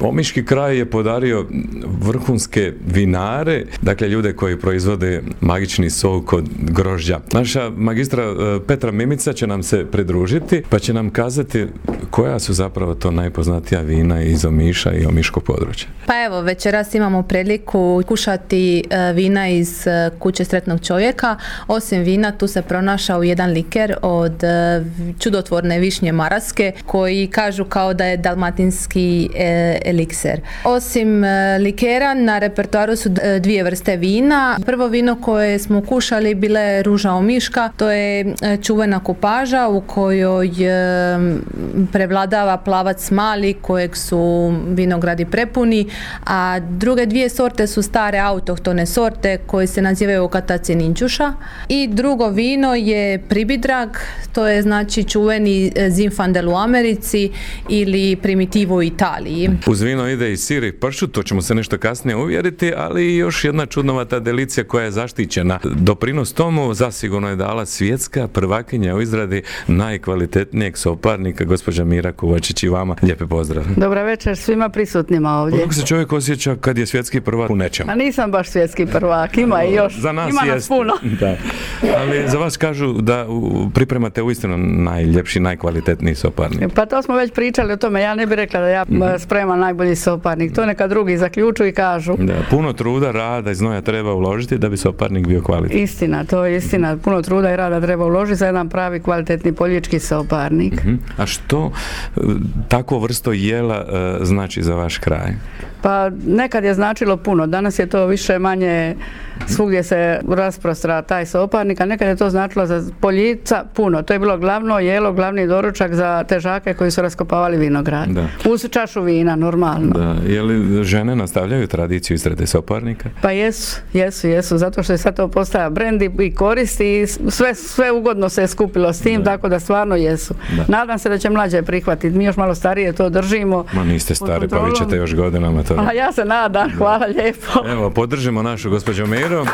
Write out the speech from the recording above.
Omiški kraj je podario vrhunske vinare, dakle ljude koji proizvode magični sok od grožđa. Naša magistra Petra Mimica će nam se pridružiti, pa će nam kazati koja su zapravo to najpoznatija vina iz Omiša i omiškog područja. Pa evo, večeras imamo priliku kušati vina iz kuće Sretnog čovjeka. Osim vina, tu se pronašao jedan liker od čudotvorne višnje maraske, koji kažu kao da je dalmatinski elikser. Osim likera, na repertoaru su dvije vrste vina. Prvo vino koje smo kušali bila je ruža omiška, to je čuvena kupaža u kojoj prevladava plavac mali kojeg su vinogradi prepuni, a druge dvije sorte su stare autohtone sorte koje se nazivaju Kataci Ninčuša. I drugo vino je Pribidrag, to je znači čuveni Zinfandel u Americi ili Primitivo u Italiji. Uz vino ide i sir i pršut, to ćemo se nešto kasnije uvjeriti, ali i još jedna čudnovata delicija koja je zaštićena. Doprinos tomu zasigurno je dala svjetska prvakinja u izradi najkvalitetnijeg soparnika, gospođa Mira Kovačić, i vama lijepi pozdrav. Dobra večer svima prisutnima ovdje. Kako se čovjek osjeća kad je svjetski prvak u nečemu? A nisam baš svjetski prvak, ima i još, za nas ima nas puno. Da. Ali za vas kažu da pripremate uistinu najljepši, najkvalitetniji soparnik. Pa to smo već pričali o tome, ja ne bih rekla da ja spremam najbolji soparnik, to neka drugi zaključuju i kažu. Da, puno truda, rada i znoja treba uložiti da bi soparnik bio kvalitetan. Istina, to je istina, puno truda i rada treba uložiti za jedan pravi kvalitetni poljički soparnik. A što takvo vrsto jela znači za vaš kraj? Pa nekad je značilo puno, danas je to više manje svugdje se rasprostra taj soparnik, a nekad je to značilo za poljica puno. To je bilo glavno jelo, glavni doručak za težake koji su raskopavali vinograd. Da. Uz čašu vina, normalno. Da. Je li žene nastavljaju tradiciju izrade soparnika? Pa jesu, zato što je sad to postaja brend i koristi i sve ugodno se je skupilo s tim, tako da stvarno jesu. Da. Nadam se da će mlađe prihvatiti, mi još malo starije to držimo. Ma niste stari, pa vi ćete još godinama to. A ja se nadam, hvala lijepo. Evo, podržimo našu gospođu Miru.